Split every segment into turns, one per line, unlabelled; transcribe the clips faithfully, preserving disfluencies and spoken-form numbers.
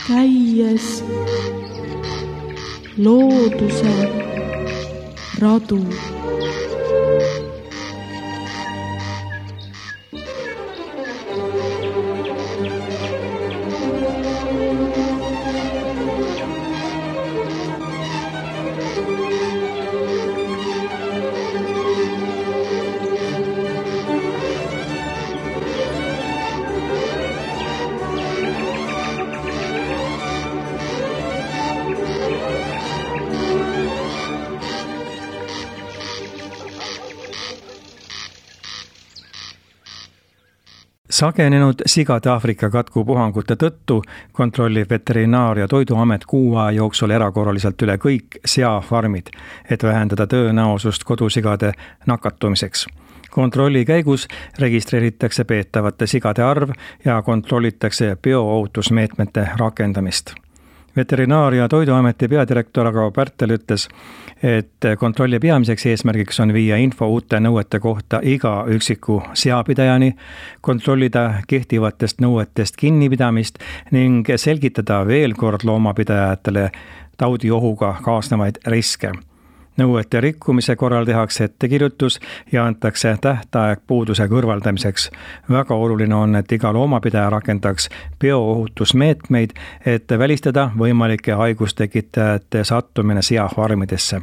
käies looduse radu.
Sagenenud sigade Aafrika katkupuhangute tõttu kontrollib Veterinaar- ja Toiduamet kuu aja jooksul erakorraliselt üle kõik seafarmid, et vähendada tõenäosust kodusigade nakatumiseks. Kontrolli käigus registreeritakse peetavate sigade arv ja kontrollitakse bioohutusmeetmete rakendamist. Veterinaar- ja Toiduameti peadirektor Aga Pärtel ütles, et kontrolli peamiseks eesmärgiks on viia info uute nõuete kohta iga üksiku seapidajani, kontrollida kehtivatest nõuetest kinnipidamist ning selgitada veel kord loomapidajatele taudiohuga kaasnevaid riske. Nõuete rikkumise korral tehakse ettekirjutus ja antakse tähtaeg puuduse kõrvaldamiseks. Väga oluline on, et iga loomapidaja rakendaks bioohutusmeetmeid, et välistada võimalike haigustekitajate sattumine seafarmidesse.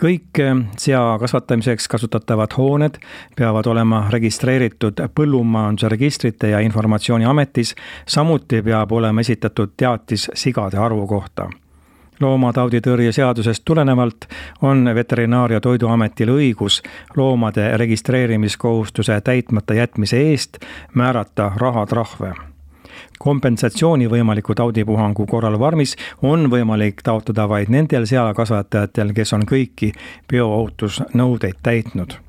Kõik sea kasvatamiseks kasutatavad hooned peavad olema registreeritud Põllumajanduse Registrite ja Informatsiooniametis, samuti peab olema esitatud teatis sigade arvu kohta. Loomatauditõrje seadusest tulenevalt on Veterinaar- ja Toiduametil õigus loomade registreerimiskohustuse täitmata jätmise eest määrata rahatrahve. Kompensatsiooni võimaliku taudipuhangu korral vormis on võimalik taotleda vaid nendel seakasvatajatel, kes on kõiki bioohutusnõudeid täitnud.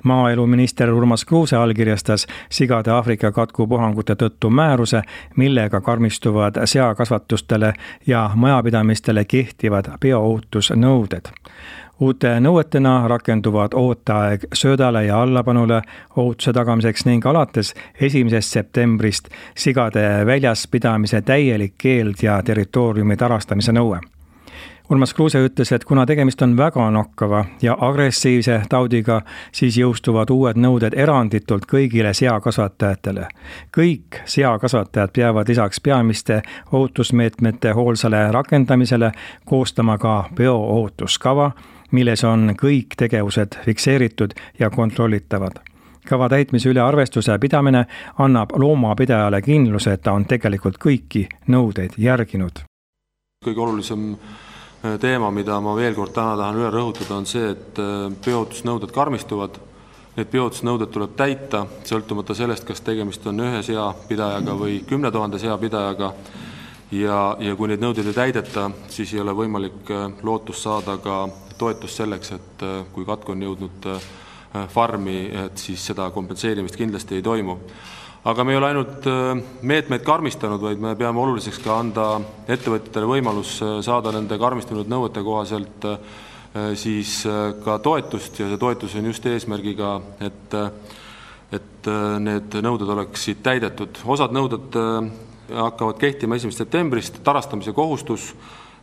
Maaeluminister Urmas Kruuse allkirjastas sigade Aafrika katkupuhangute tõttu määruse, millega karmistuvad seakasvatustele ja majapidamistele kehtivad bioohutusnõuded. Uute nõuetena rakenduvad ooteaeg söödale ja allapanule ohutuse tagamiseks ning alates esimesest septembrist sigade väljas pidamise täielik keeld ja territooriumi tarastamise nõue. Urmas Kruuse ütles, et kuna tegemist on väga nokkava ja agressiivse taudiga, siis jõustuvad uued nõuded eranditult kõigile seakasvatajatele. Kõik seakasvatajad peavad lisaks peamiste ohutusmeetmete hoolsale rakendamisele koostama ka bioohutuskava, milles on kõik tegevused fikseeritud ja kontrollitavad. Kava täitmise üle arvestuse pidamine annab loomapidajale kindluse, et ta on tegelikult kõiki nõudeid järginud.
Kõige olulisem teema, mida ma veel kord täna tahan üle rõhutada, on see, et bioohutusnõuded karmistuvad. Need bioohutusnõuded tuleb täita, sõltumata sellest, kas tegemist on ühe seapidajaga või kümne tuhande seapidajaga. Ja, ja kui neid nõudeid ei täideta, siis ei ole võimalik lootust saada ka toetust selleks, et kui katku on jõudnud farmi, et siis seda kompenseerimist kindlasti ei toimu. Aga me ei ole ainult meetmeid karmistanud, vaid me peame oluliseks ka anda ettevõtjatele võimalus saada nende karmistunud nõuete kohaselt siis ka toetust ja see toetus on just eesmärgiga, et, et need nõuded oleksid täidetud. Osad nõuded hakkavad kehtima esimesest septembrist, tarastamise kohustus,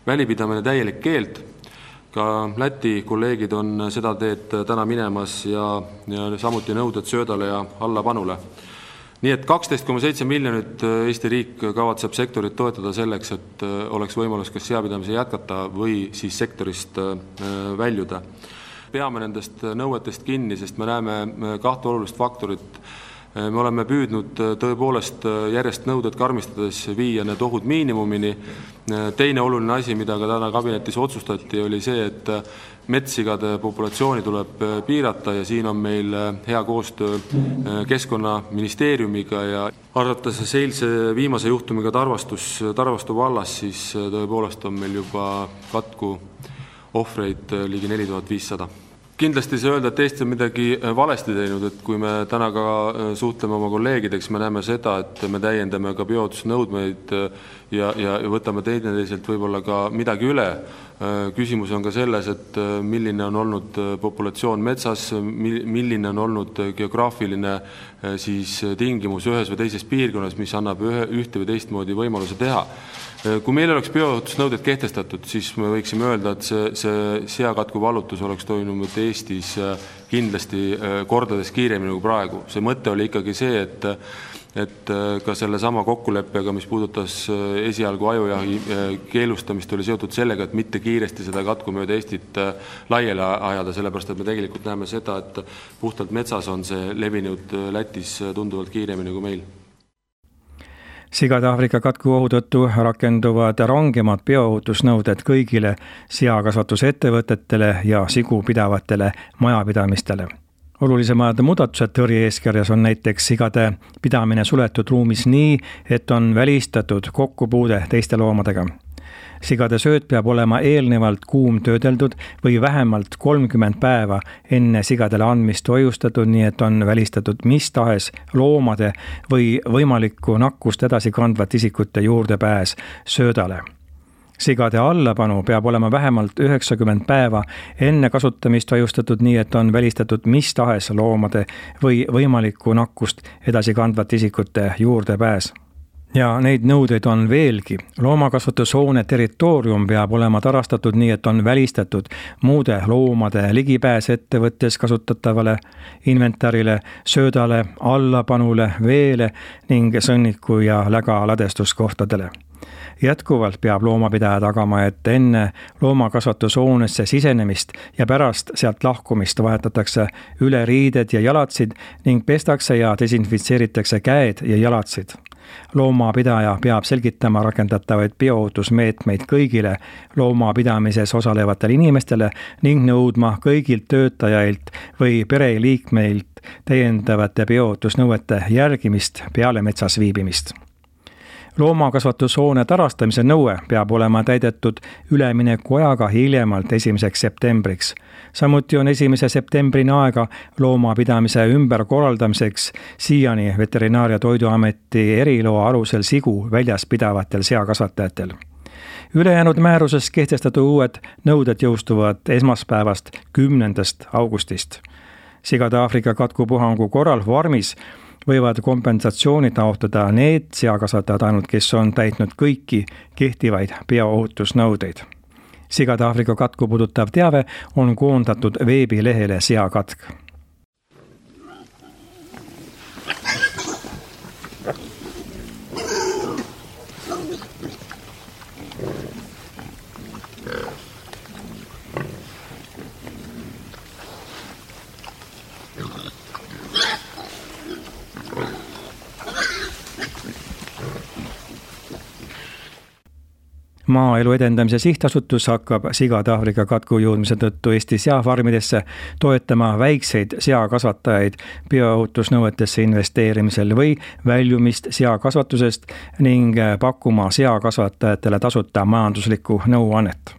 välipidamine täielik keeld. Ka Läti kolleegid on seda teed täna minemas ja, ja samuti nõuded söödale ja allapanule. Nii et kaksteist koma seitse miljonit Eesti riik kavatseb sektorit toetada selleks, et oleks võimalus kas seapidamise jätkata või siis sektorist väljuda. Peame nendest nõuetest kinni, sest me näeme kahte olulist faktorit. Me oleme püüdnud tõepoolest järjest nõuded karmistades viia need ohud miinimumini. Teine oluline asi, mida ka täna kabinetis otsustati, oli see, et metsigade populatsiooni tuleb piirata ja siin on meil hea koostöö Keskkonnaministeeriumiga ja arvates eilse viimase juhtumiga Tarvastus, Tarvastu vallas, siis tõepoolest on meil juba katku ohvreid ligi neli tuhat viissada. Kindlasti see öelda, et Eesti on midagi valesti teinud, et kui me täna ka suhtleme oma kolleegideks, me näeme seda, et me täiendame ka bioohutusnõudmeid ja, ja võtame teineteiselt võib-olla ka midagi üle. Küsimus on ka selles, et milline on olnud populatsioon metsas, milline on olnud geograafiline siis tingimus ühes või teises piirkonnas, mis annab ühe, ühte või teistmoodi võimaluse teha. Kui meil oleks bioohutusnõuded kehtestatud, siis me võiksime öelda, et see, see seakatku vallutus oleks toimunud Eestis kindlasti kordades kiiremini kui praegu. See mõte oli ikkagi see, et et ka selle sama kokkuleppega, mis puudutas esialgu ajujahi keelustamist, oli seotud sellega, et mitte kiiresti seda katku mööda Eestit laiele ajada, sellepärast et me tegelikult näeme seda, et puhtalt metsas on see levinud Lätis tunduvalt kiiremini kui meil.
Sigade Aafrika katku ohu tõttu rakenduvad rangemad bioohutusnõuded kõigile seakasvatusettevõtetele ja sigu pidavatele majapidamistele. Olulisemad muudatused tõrje eeskirjas on näiteks sigade pidamine suletud ruumis nii, et on välistatud kokkupuude teiste loomadega. Sigade sööt peab olema eelnevalt kuum töödeldud või vähemalt kolmkümmend päeva enne sigadele andmist hoiustatud, nii et on välistatud mis tahes loomade või võimalikku nakkust edasi kandvat isikute juurdepääs söödale. Sigade allapanu peab olema vähemalt üheksakümmend päeva enne kasutamist hoiustatud, nii et on välistatud mis tahes loomade või võimalikku nakkust edasi kandvat isikute juurdepääs. Ja neid nõudeid on veelgi. Loomakasvatushoone territoorium peab olema tarastatud nii, et on välistatud muude loomade ligipääs ettevõttes kasutatavale inventarile, söödale, allapanule, veele ning sõnniku ja läga ladestuskohtadele. Jätkuvalt peab loomapidaja tagama, et enne loomakasvatushoonesse sisenemist ja pärast sealt lahkumist vahetatakse üle riided ja jalatsid ning pestakse ja desinfitseeritakse käed ja jalatsid. Loomapidaja peab selgitama rakendatavaid bioohutusmeetmeid kõigile loomapidamises osalevatele inimestele ning nõudma kõigilt töötajailt või pereliikmeilt täiendavate bioohutusnõuete järgimist peale metsas viibimist. Loomakasvatushoone tarastamise nõue peab olema täidetud ülemineku ajaga hiljemalt esimeseks septembriks. Samuti on esimese septembrini aega loomapidamise ümberkorraldamiseks siiani Veterinaar- ja Toiduameti eriloa alusel sigu väljas pidavatel seakasvatajatel. Ülejäänud määruses kehtestatud uued nõuded jõustuvad esmaspäevast kümnendast augustist. Sigade Aafrika katkupuhangu korral farmis võivad kompensatsiooni taotleda need seakasvatajad ainult, kes on täitnud kõiki kehtivaid bioohutusnõudeid. Sigade Aafrika katku puudutav teave on koondatud veebilehele Seakatk. Maaelu edendamise sihtasutus hakkab Sigade Aafrika katku jõudmise tõttu Eesti seafarmidesse toetama väikseid seakasvatajaid bioohutusnõuetesse investeerimisel või väljumist seakasvatusest ning pakkuma seakasvatajatele tasuta majanduslikku nõuannet.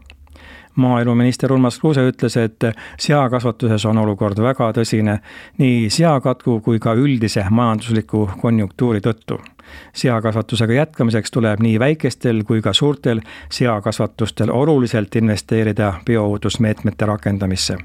Maaeluminister Urmas Kruuse ütles, et seakasvatuses on olukord väga tõsine nii seakatku kui ka üldise majandusliku konjunktuuri tõttu. Seakasvatusega jätkamiseks tuleb nii väikestel kui ka suurtel seakasvatustel oluliselt investeerida bioohutusmeetmete rakendamisse.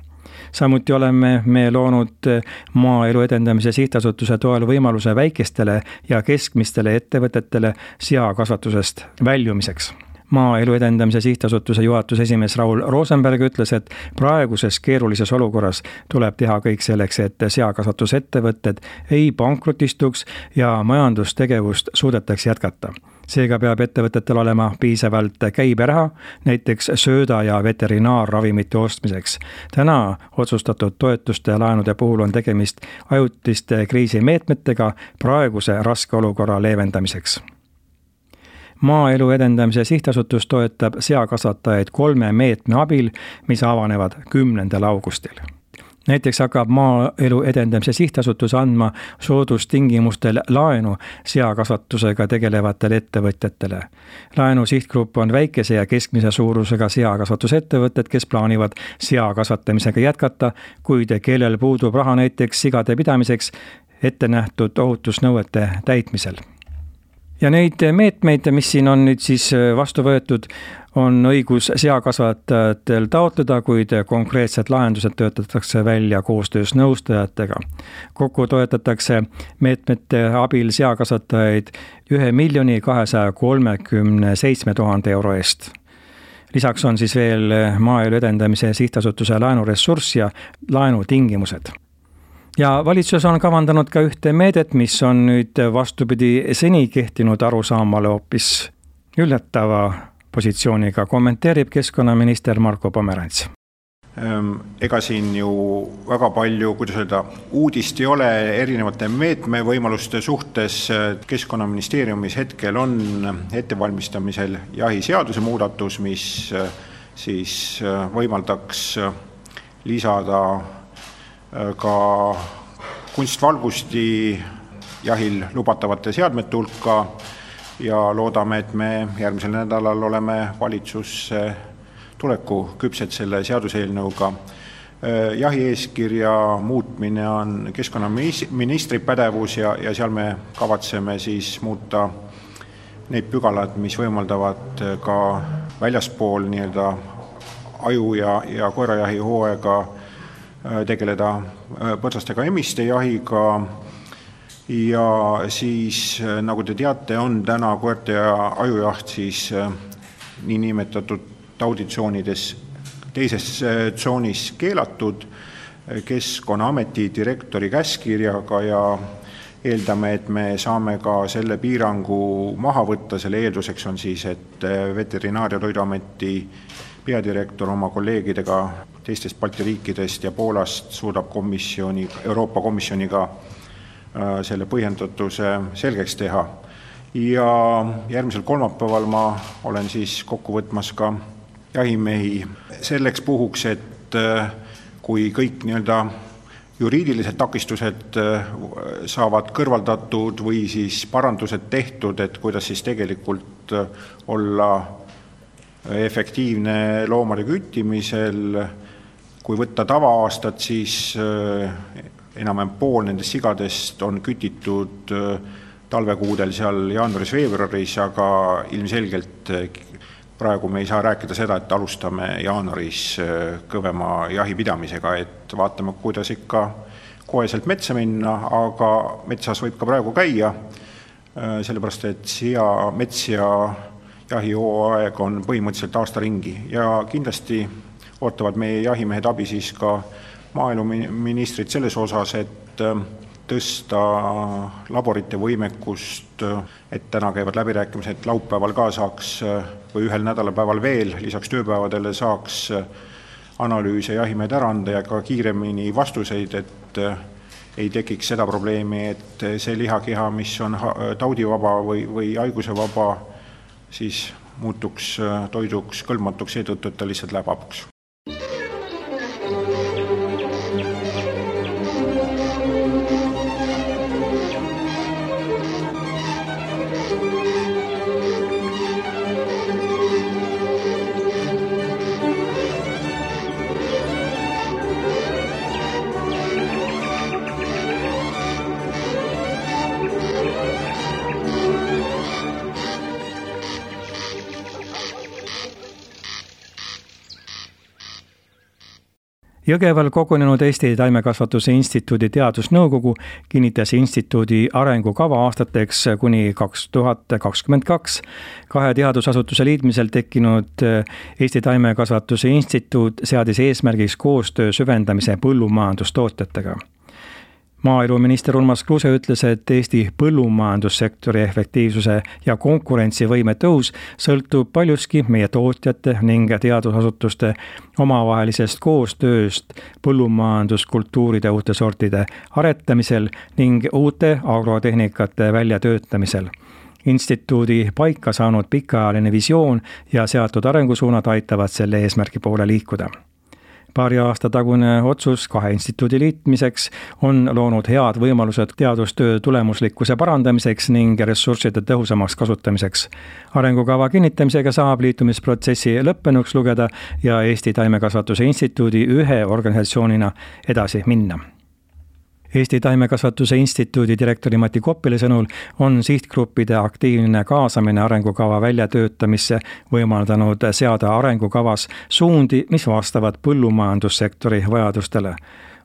Samuti oleme me loonud Maaelu edendamise sihtasutuse toel võimaluse väikestele ja keskmistele ettevõtetele seakasvatusest väljumiseks. Maaelu edendamise sihtasutuse juhatuse esimees Raul Rosenberg ütles, et praeguses keerulises olukorras tuleb teha kõik selleks, et seakasvatusettevõtted ei pankrotistuks ja majandustegevust suudetaks jätkata. Seega peab ettevõtetel olema piisavalt käiberaha, näiteks sööda ja veterinaarravimite ostmiseks. Täna otsustatud toetuste ja laenude puhul on tegemist ajutiste kriisimeetmetega praeguse raske olukorra leevendamiseks. Maaelu edendamise sihtasutus toetab seakasvatajaid kolme meetme abil, mis avanevad kümnendal augustil. Näiteks hakkab Maaelu edendamise sihtasutus andma soodustingimustel laenu seakasvatusega tegelevatele ettevõtjatele. Laenu sihtgrupp on väikese ja keskmise suurusega seakasvatusettevõtted, kes plaanivad seakasvatamisega jätkata, kuid kellel puudub raha näiteks sigade pidamiseks ette nähtud ohutusnõuete täitmisel. ja neid meetmeid, mis siin on nüüd siis vastu võetud, on õigus seakasvatajatel taotleda, kuid konkreetsed lahendused töötatakse välja koostöös nõustajatega. Kokku toetatakse meetmete abil seakasvatajaid ühe miljoni kahesaja kolmekümne seitsme tuhande euro eest. Lisaks on siis veel Maaelu Edendamise Sihtasutuse laenuressurss ja laenutingimused. Ja valitsus on kavandanud ka ühte meedet, mis on nüüd vastupidi seni kehtinud arusaamale hoopis üllatava positsiooniga, kommenteerib keskkonnaminister Marko Pomerants.
Ega siin ju väga palju, kuidas öelda, uudist ei ole erinevate meetme võimaluste suhtes. Keskkonnaministeeriumis hetkel on ettevalmistamisel jahiseaduse muudatus, mis siis võimaldaks lisada ka kunstvalgusti jahil lubatavate seadmete hulka ja loodame, et me järgmisel nädalal oleme valitsusse tuleku küpsed selle seaduseelnõuga. Jahieeskirja muutmine on keskkonnaministri pädevus ja, ja seal me kavatseme siis muuta neid pügalad, mis võimaldavad ka väljaspool nii-öelda aju ja, ja koerajahi hooaega tegeleda põrsastega emiste jahiga ja siis, nagu te teate, on täna koerte ja ajujaht siis nii nimetatud tauditsoonides teises tsoonis keelatud Keskkonnaameti direktori käskkirjaga ja eeldame, et me saame ka selle piirangu maha võtta. Selle eelduseks on siis, et Veterinaar- ja Toiduameti peadirektor oma kolleegidega teistest Balti riikidest ja Poolast suudab komisjoni, Euroopa Komisjoniga selle põhjendatuse selgeks teha. Ja järgmisel kolmapäeval ma olen siis kokku võtmas ka jahimehi selleks puhuks, et kui kõik nii-öelda juriidilised takistused saavad kõrvaldatud või siis parandused tehtud, et kuidas siis tegelikult olla efektiivne loomade küttimisel. Kui võtta tava-aastat, siis enam-vähem pool nendest sigadest on kütitud talvekuudel seal jaanuaris-veebruaris, aga ilmselgelt praegu me ei saa rääkida seda, et alustame jaanuaris kõvema jahipidamisega, et vaatame, kuidas ikka koheselt metsa minna, aga metsas võib ka praegu käia, sellepärast et siia mets ja jahihooaeg on põhimõtteliselt aasta ringi ja kindlasti ootavad meie jahimehed abi siis ka maaeluministrit selles osas, et tõsta laborite võimekust, et täna käivad läbirääkimised laupäeval ka saaks või ühel nädalapäeval veel, lisaks tööpäevadele saaks analüüse jahimehed ära anda ja ka kiiremini vastuseid, et ei tekiks seda probleemi, et see lihakeha, mis on taudivaba või, või haigusevaba, siis muutuks toiduks kõlbmatuks seetõttu, et ta lihtsalt läheb hapuks.
Jõgeval kogunenud Eesti Taimekasvatuse Instituudi teadusnõukogu kinnitas instituudi arengukava aastateks kuni kaks tuhat kakskümmend kaks. Kahe teadusasutuse liitmisel tekkinud Eesti Taimekasvatuse Instituut seadis eesmärgiks koostöö süvendamise põllumajandustootjatega. Maaeluminister Urmas Kruuse ütles, et Eesti põllumajandussektori efektiivsuse ja konkurentsivõime tõus sõltub paljuski meie tootjate ning teadusasutuste omavahelisest koostööst põllumajanduskultuuride uute sortide aretamisel ning uute agrotehnikate väljatöötamisel. Instituudi paika saanud pikaajaline visioon ja seatud arengusuunad aitavad selle eesmärgi poole liikuda. Paari aasta tagune otsus kahe instituudi liitmiseks on loonud head võimalused teadustöö tulemuslikkuse parandamiseks ning ressursside tõhusamaks kasutamiseks. Arengukava kinnitamisega saab liitumisprotsessi lõppenuks lugeda ja Eesti Taimekasvatuse Instituudi ühe organisatsioonina edasi minna. Eesti Taimekasvatuse Instituudi direktori Mati Koppile sõnul on sihtgruppide aktiivne kaasamine arengukava väljatöötamisse võimaldanud seada arengukavas suundi, mis vastavad põllumajandussektori vajadustele.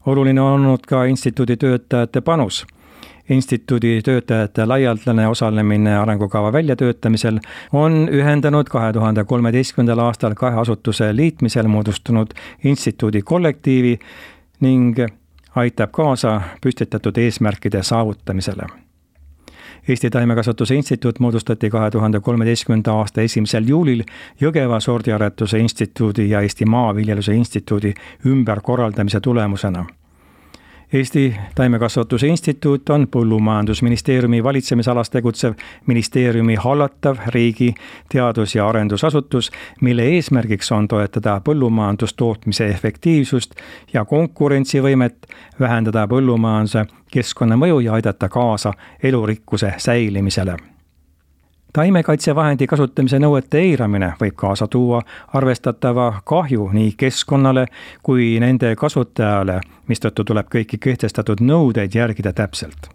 Oluline on olnud ka instituudi töötajate panus. Instituudi töötajate laialdane osalemine arengukava väljatöötamisel on ühendanud kahe tuhande kolmeteistkümnendal aastal kahe asutuse liitmisel moodustunud instituudi kollektiivi ning aitab kaasa püstitatud eesmärkide saavutamisele. Eesti Taimekasvatuse Instituut moodustati kahe tuhande kolmeteistkümnenda aasta esimesel juulil Jõgeva sordiaretuse instituudi ja Eesti Maaviljeluse instituudi ümberkorraldamise tulemusena. Eesti Taimekasvatuse Instituut on Põllumajandusministeeriumi valitsemisalas tegutsev ministeeriumi hallatav riigi teadus- ja arendusasutus, mille eesmärgiks on toetada põllumajandustootmise efektiivsust ja konkurentsivõimet, vähendada põllumajanduse keskkonnamõju ja aidata kaasa elurikkuse säilimisele. Taimekaitsevahendi kasutamise nõuete eiramine võib kaasa tuua arvestatava kahju nii keskkonnale kui nende kasutajale, mistõttu tuleb kõiki kehtestatud nõudeid järgida täpselt.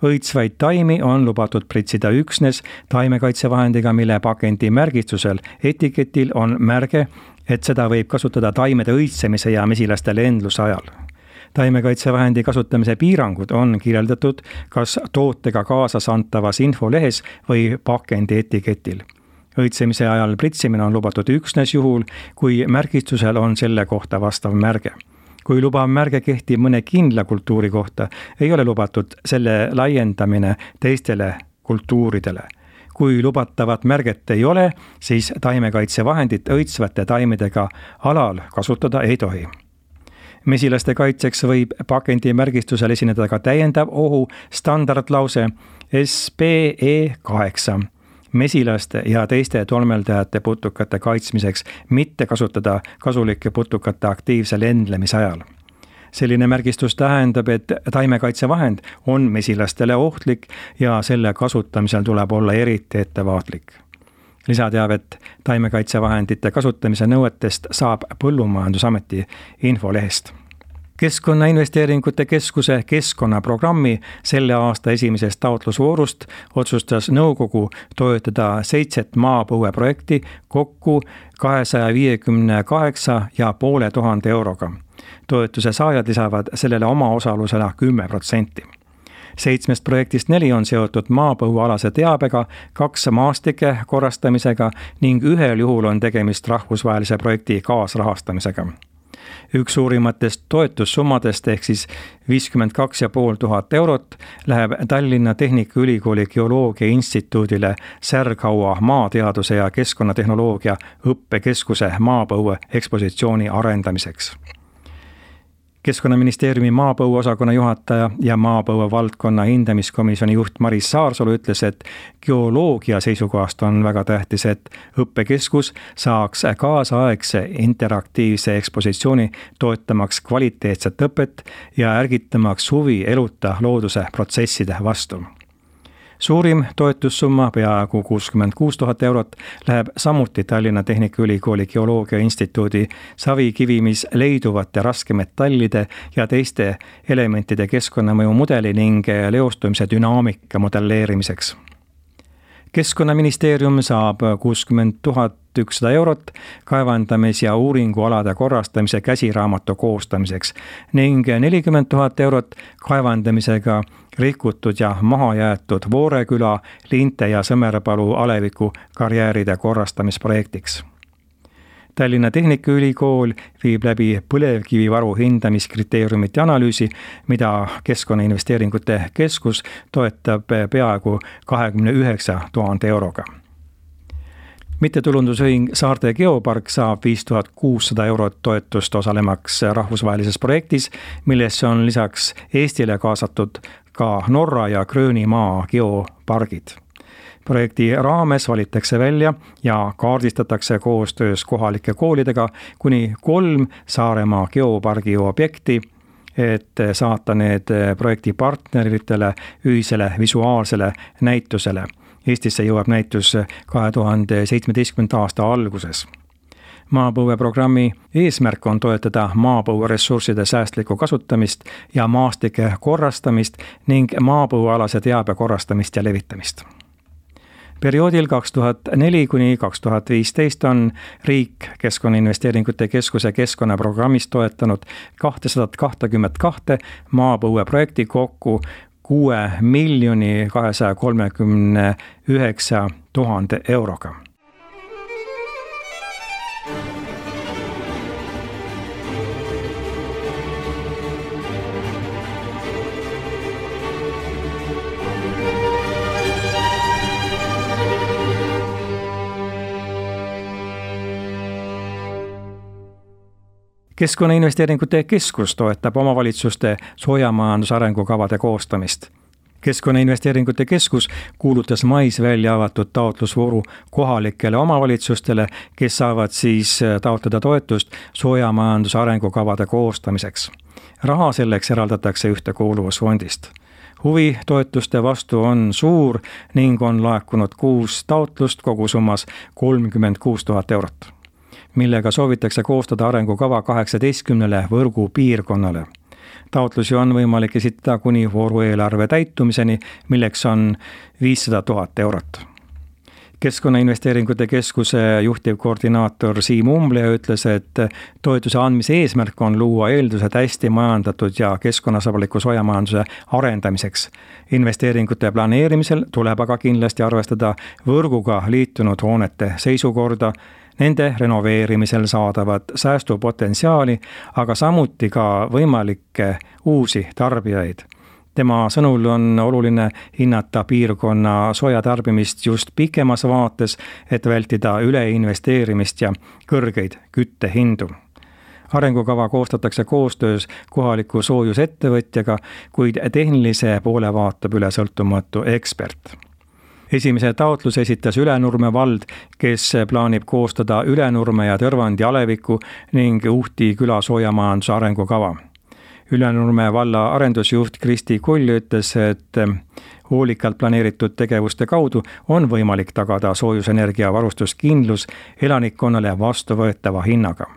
Õitsvaid taimi on lubatud pritsida üksnes taimekaitsevahendiga, mille pakendi märgistusel etiketil on märge, et seda võib kasutada taimede õitsemise ja mesilaste lendluse ajal. Taimekaitsevahendi kasutamise piirangud on kirjeldatud kas tootega kaasas antavas infolehes või pakendi etiketil. Õitsemise ajal pritsimine on lubatud üksnes juhul, kui märgistusel on selle kohta vastav märge. Kui lubav märge kehtib mõne kindla kultuuri kohta, ei ole lubatud selle laiendamine teistele kultuuridele. Kui lubatavat märget ei ole, siis taimekaitsevahendit õitsvate taimedega alal kasutada ei tohi. Mesilaste kaitseks võib pakendi märgistusel esineda ka täiendav ohu standardlause S P E kaheksa. Mesilaste ja teiste tolmeldajate putukate kaitsmiseks mitte kasutada kasulike putukate aktiivse lendlemise ajal. Selline märgistus tähendab, et taimekaitsevahend on mesilastele ohtlik ja selle kasutamisel tuleb olla eriti ettevaatlik. Lisateavet taimekaitsevahendite kasutamise nõuetest saab Põllumajandusameti infolehest. Keskkonnainvesteeringute keskuse keskkonnaprogrammi selle aasta esimesest taotlusvoorust otsustas nõukogu toetada seitset maapõueprojekti kokku kahesaja viiekümne kaheksa ja poole tuhande euroga. Toetuse saajad lisavad sellele oma osalusena kümme protsenti. Seitsmest projektist neli on seotud maapõuealase teabega, kaks maastike korrastamisega ning ühel juhul on tegemist rahvusvahelise projekti kaasrahastamisega. Üks suurimatest toetussummadest ehk siis viiskümmend kaks ja pool tuhat eurot läheb Tallinna Tehnikaülikooli Geoloogia Instituudile Särghaua maateaduse ja keskkonnatehnoloogia õppekeskuse maapõue ekspositsiooni arendamiseks. Keskkonnaministeeriumi maapõueosakonna juhataja ja maapõue valdkonna hindamiskomisjoni juht Maris Saarsalu ütles, et geoloogia seisukohast on väga tähtis, et õppekeskus saaks kaasaegse interaktiivse ekspositsiooni toetamaks kvaliteetset õpet ja ärgitamaks huvi eluta looduse protsesside vastu. Suurim toetussumma, peaaegu kuuskümmend kuus tuhat eurot, läheb samuti Tallinna Tehnikaülikooli Geoloogia Instituudi savikivimis leiduvate raskemetallide ja teiste elementide keskkonnamõju mudeli ning leostumise dünaamika modelleerimiseks. Keskkonnaministeerium saab kuuskümmend tuhat ükssada eurot kaevandamis- ja uuringualade korrastamise käsiraamatu koostamiseks ning nelikümmend tuhat eurot kaevandamisega rikutud ja mahajäetud Vooreküla, Linte ja Sõmerpalu aleviku karjääride korrastamisprojektiks. Tallinna Tehnikaülikool viib läbi põlevkivivaru hindamiskriteeriumite analüüsi, mida Keskkonnainvesteeringute keskus toetab peaaegu kahekümne üheksa tuhande euroga. Mittetulundusühing Saarte Geopark saab viis tuhat kuussada eurot toetust osalemaks rahvusvahelises projektis, millesse on lisaks Eestile kaasatud ka Norra ja Gröönimaa geopargid. Projekti raames valitakse välja ja kaardistatakse koostöös kohalike koolidega kuni kolm Saaremaa geopargi objekti, et saata need projekti partneritele ühisele visuaalsele näitusele. Eestisse jõuab näitus kahe tuhande seitsmeteistkümnenda aasta alguses. Maapõueprogrammi eesmärk on toetada maapõueressursside säästlikku kasutamist ja maastike korrastamist ning maapõuealase teabe korrastamist ja levitamist. Perioodil kaks tuhat neli kuni kaks tuhat viisteist on riik Keskkonnainvesteeringute Keskuse keskkonnaprogrammist toetanud kahtesada kakskümmend kaks maapõueprojekti kokku kuue miljoni kahesaja kolmekümne üheksa tuhande euroga. Keskkonnainvesteeringute Keskus toetab omavalitsuste soojamajanduse arengukavade koostamist. Keskkonnainvesteeringute Keskus kuulutas mais välja avatud taotlusvooru kohalikele omavalitsustele, kes saavad siis taotleda toetust soojamajanduse arengukavade koostamiseks. Raha selleks eraldatakse Ühtekuuluvusfondist. Huvi toetuste vastu on suur ning on laekunud kuus taotlust kogusummas kolmkümmend kuus tuhat eurot, millega soovitakse koostada arengukava kaheksateistkümnele võrgu piirkonnale. Taotlusi on võimalik esitada kuni voorueelarve täitumiseni, milleks on viissada tuhat eurot. Keskkonnainvesteeringute Keskuse juhtivkoordinaator Siim Umble ütles, et toetuse andmise eesmärk on luua eeldused hästi majandatud ja keskkonnasõbraliku soojamajanduse arendamiseks. Investeeringute planeerimisel tuleb aga kindlasti arvestada võrguga liitunud hoonete seisukorda, nende renoveerimisel saadavat säästupotentsiaali, aga samuti ka võimalikke uusi tarbijaid. Tema sõnul on oluline hinnata piirkonna soojatarbimist just pikemas vaates, et vältida üleinvesteerimist ja kõrgeid küttehindu. Arengukava koostatakse koostöös kohaliku soojusettevõtjaga, kuid tehnilise poole vaatab üle sõltumatu ekspert. Esimese taotluse esitas Ülenurme vald, kes plaanib koostada Ülenurme ja Tõrvandi aleviku ning Uhti küla soojamajanduse arengukava. Ülenurme valla arendusjuht Kristi Kull ütles, et hoolikalt planeeritud tegevuste kaudu on võimalik tagada soojusenergia varustuskindlus elanikkonnale vastuvõetava hinnaga.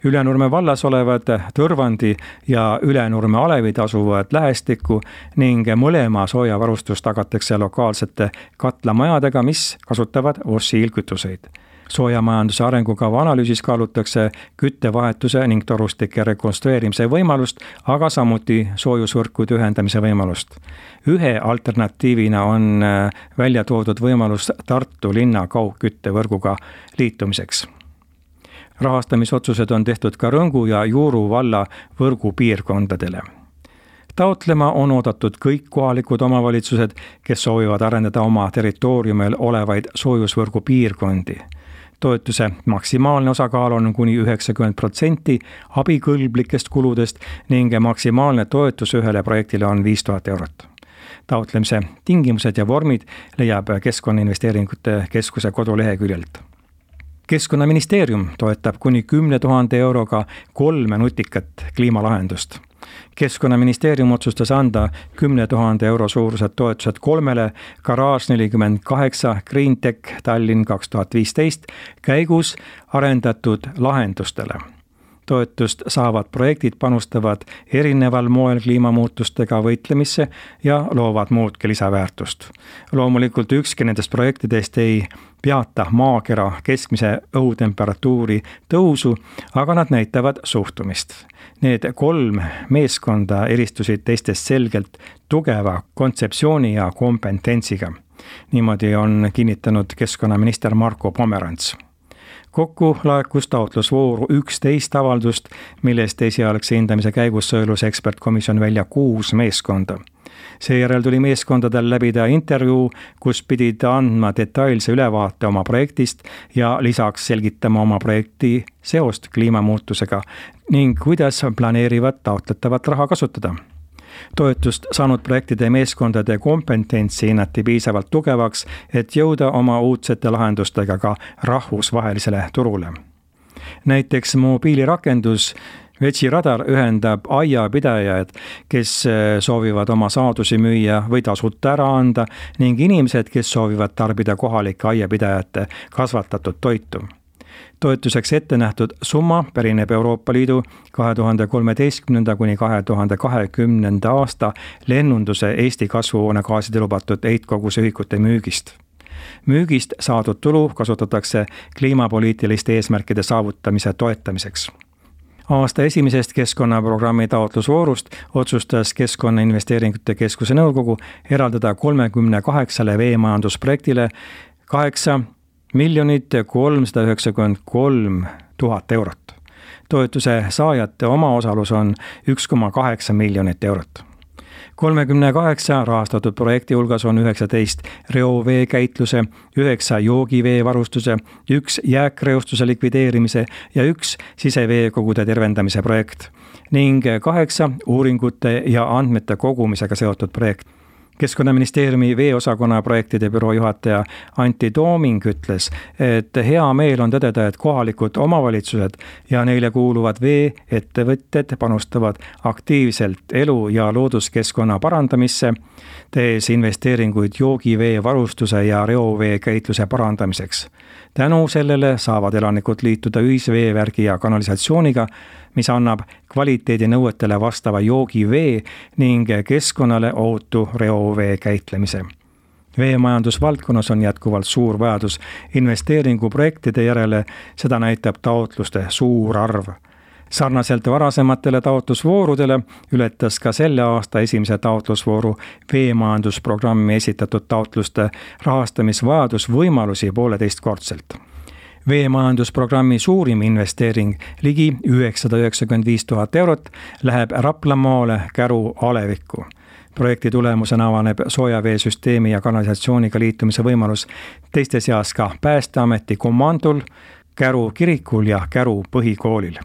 Ülenurme vallas olevad Tõrvandi ja Ülenurme alevid asuvad lähestikku ning mõlema soojavarustus tagatakse lokaalsete katlamajadega, mis kasutavad fossiilkütuseid. Soojamajanduse arengukava analüüsis kaalutakse küttevahetuse ning torustike rekonstrueerimise võimalust, aga samuti soojusvõrkude ühendamise võimalust. Ühe alternatiivina on välja toodud võimalus Tartu linna kaugküttevõrguga liitumiseks. Rahastamisotsused on tehtud ka Rõngu ja Juuru valla võrgu piirkondadele. Taotlema on oodatud kõik kohalikud omavalitsused, kes soovivad arendada oma territooriumil olevaid soojusvõrgu piirkondi. Toetuse maksimaalne osakaal on kuni üheksakümmend protsenti abikõlblikest kuludest ning maksimaalne toetus ühele projektile on viis tuhat eurot. Taotlemise tingimused ja vormid leiab Keskkonnainvesteeringute Keskuse koduleheküljelt. Keskkonnaministeerium toetab kuni kümne tuhande euroga kolme nutikat kliimalahendust. Keskkonnaministeerium otsustas anda kümne tuhande euro suurused toetused kolmele Garage nelikümmend kaheksa Greentech Tallinn kaks tuhat viisteist käigus arendatud lahendustele. Toetust saavad projektid panustavad erineval moel kliimamuutustega võitlemisse ja loovad muudki lisaväärtust. Loomulikult ükski nendest projektidest ei peata maakera keskmise õhutemperatuuri tõusu, aga nad näitavad suhtumist. Need kolm meeskonda eristusid teistest selgelt tugeva kontseptsiooni ja kompetentsiga. Niimoodi on kinnitanud keskkonnaminister Marko Pomerants. Kokku laekus taotlusvooru üksteist avaldust, millest esialgse hindamise käigus sõelus ekspertkomisjon välja kuus meeskonda. Seejärel tuli meeskondadel läbida intervjuu, kus pidid andma detailse ülevaate oma projektist ja lisaks selgitama oma projekti seost kliimamuutusega ning kuidas planeerivad taotletavat raha kasutada. Toetust saanud projektide meeskondade kompetentsi hinnati piisavalt tugevaks, et jõuda oma uudsete lahendustega ka rahvusvahelisele turule. Näiteks mobiilirakendus Vetsiradar ühendab aiapidajad, kes soovivad oma saadusi müüa või tasuta ära anda ning inimesed, kes soovivad tarbida kohalike aiapidajate kasvatatud toitu. Toetuseks ette nähtud summa pärineb Euroopa Liidu kahe tuhande kolmeteistkümnenda kuni kahe tuhande kahekümnenda aasta lennunduse Eesti kasvuhoonegaaside lubatud heitkoguse ühikute müügist. Müügist saadud tulu kasutatakse kliimapoliitiliste eesmärkide saavutamise toetamiseks. Aasta esimesest keskkonnaprogrammi taotlusvoorust otsustas Keskkonnainvesteeringute Keskuse nõukogu eraldada kolmekümne kaheksale veemajandusprojektile kaheksa miljonit kolmsada üheksakümmend kolm tuhat eurot. Toetuse saajate omaosalus on üks koma kaheksa miljonit eurot. kolmekümne kaheksa rahastatud projekti hulgas on üheksateist reovee käitluse, üheksa joogivee varustuse, üks jääkreostuse likvideerimise ja üks siseveekogude tervendamise projekt ning kaheksa uuringute ja andmete kogumisega seotud projekt. Keskkonnaministeeriumi veeosakonna projektide büroo juhataja Antti Tooming ütles, et hea meel on tõdeda, et kohalikud omavalitsused ja neile kuuluvad veeettevõtted panustavad aktiivselt elu- ja looduskeskkonna parandamisse, tees investeeringuid joogivee varustuse ja reovee käitluse parandamiseks. Tänu sellele saavad elanikud liituda ühisveevärgi ja kanalisatsiooniga, mis annab kvaliteedinõuetele vastava joogivee ning keskkonnale ohutu reovee käitlemise. Veemajandusvaldkonnas on jätkuvalt suur vajadus investeeringuprojektide järele, seda näitab taotluste suur arv. Sarnaselt varasematele taotlusvoorudele ületas ka selle aasta esimese taotlusvooru veemajandusprogrammi esitatud taotluste rahastamisvajadus võimalusi pooleteistkordselt. Veemajandusprogrammi suurim investeering, ligi üheksasada üheksakümmend viis tuhat eurot, läheb Raplamaale Käru alevikku. Projekti tulemusena avaneb soojaveesüsteemi ja kanalisatsiooniga liitumise võimalus teiste seas ka Päästeameti komandol, Käru kirikul ja Käru põhikoolil.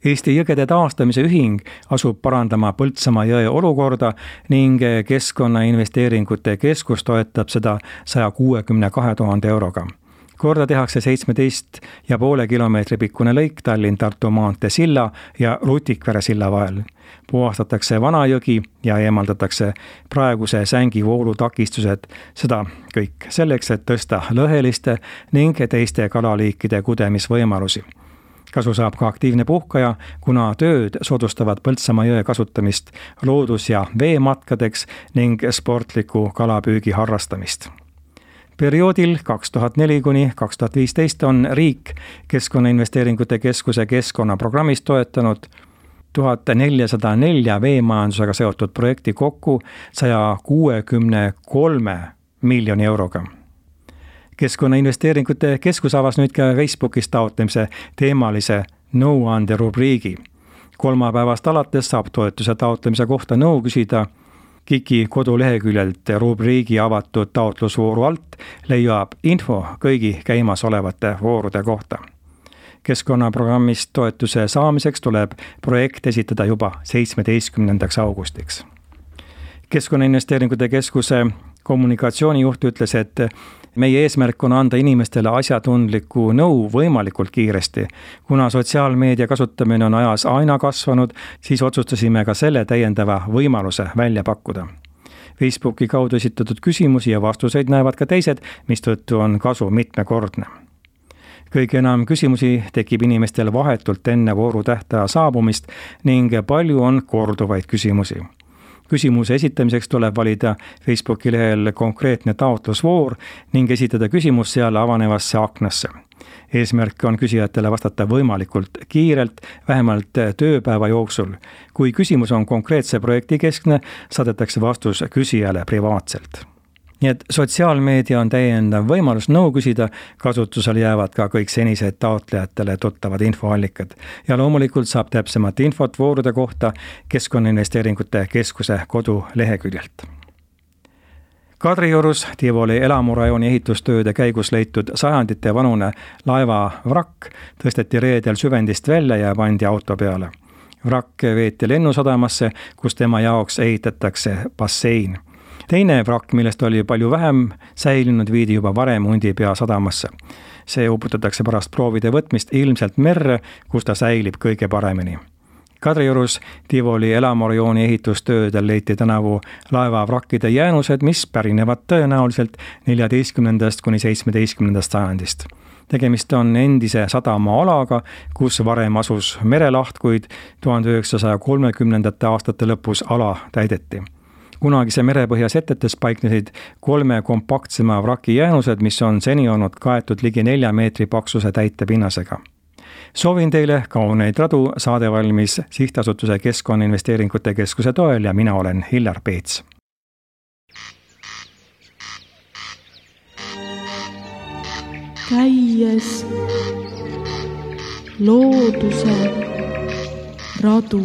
Eesti jõgede taastamise ühing asub parandama Põltsamaa jõe olukorda ning Keskkonnainvesteeringute Keskus toetab seda saja kuuekümne kahe tuhande euroga. Korda tehakse seitsmeteist ja poole kilomeetri pikkune lõik Tallinn-Tartu maantee silla ja Rutikvere silla vahel. Puhastatakse Vanajõgi ja eemaldatakse praeguse sängivoolu takistused, seda kõik selleks, et tõsta lõheliste ning teiste kalaliikide kudemisvõimalusi. Kasu saab ka aktiivne puhkaja, kuna tööd soodustavad Põltsamaa jõe kasutamist loodus- ja veematkadeks ning sportliku kalapüügi harrastamist. Perioodil kaks tuhat neli kuni kaks tuhat viisteist on riik Keskkonnainvesteeringute Keskuse keskkonnaprogrammist toetanud tuhat nelisada neli veemajandusega seotud projekti kokku saja kuuekümne kolme miljoni euroga. Keskkonnainvesteeringute Keskus avas nüüd ka Facebookis taotlemise teemalise nõuande rubriigi. Kolmapäevast alates saab toetuse taotlemise kohta nõu küsida. KIK-i koduleheküljelt rubriigi avatud taotlusvooru alt leiab info kõigi käimasolevate voorude kohta. Keskkonnaprogrammist toetuse saamiseks tuleb projekt esitada juba seitsmeteistkümnendaks augustiks. Keskkonnainvesteeringute Keskuse kommunikatsioonijuht ütles, et meie eesmärk on anda inimestele asjatundlikku nõu võimalikult kiiresti. Kuna sotsiaalmeedia kasutamine on ajas aina kasvanud, siis otsustasime ka selle täiendava võimaluse välja pakkuda. Facebooki kaudu esitatud küsimusi ja vastuseid näevad ka teised, mistõttu on kasu mitmekordne. Kõige enam küsimusi tekib inimestel vahetult enne vooru tähtaja saabumist ning palju on korduvaid küsimusi. Küsimuse esitamiseks tuleb valida Facebooki lehel konkreetne taotlusvoor ning esitada küsimus seal avanevasse aknasse. Eesmärk on küsijatele vastata võimalikult kiirelt, vähemalt tööpäeva jooksul. Kui küsimus on konkreetse projekti keskne, saadetakse vastus küsijale privaatselt. Nii et sotsiaalmeedia on täiendav võimalus nõu küsida, kasutusel jäävad ka kõik senised taotlejatele tuttavad infoallikad. Ja loomulikult saab täpsemat infot voorude kohta Keskkonnainvesteeringute Keskuse koduleheküljelt. Kadriorus Tivoli elamurajooni ehitustööde käigus leitud sajandite vanune laeva vrakk tõsteti reedel süvendist välja ja pandi auto peale. Vrakk veeti lennusadamasse, kus tema jaoks ehitatakse bassein. Teine vrakk, millest oli palju vähem säilinud, viidi juba varem Hundipea sadamasse. See uputatakse pärast proovide võtmist ilmselt merre, kus ta säilib kõige paremini. Kadriorus Tivoli elamurajooni ehitustöödel leiti tänavu laevavrakkide jäänused, mis pärinevad tõenäoliselt neljateistkümnendast kuni seitsmeteistkümnendast sajandist. Tegemist on endise sadamaalaga, kus varem asus merelaht, kuid tuhande üheksasaja kolmekümnendate aastate lõpus ala täideti. Kunagise merepõhja setetes paiknesid kolme kompaktsema vraki jäänused, mis on seni olnud kaetud ligi nelja meetri paksuse täitepinnasega. Soovin teile kauneid radu, saade valmis Sihtasutuse Keskkonnainvesteeringute Keskuse toel ja mina olen Hillar Peets.
Käies looduse radu.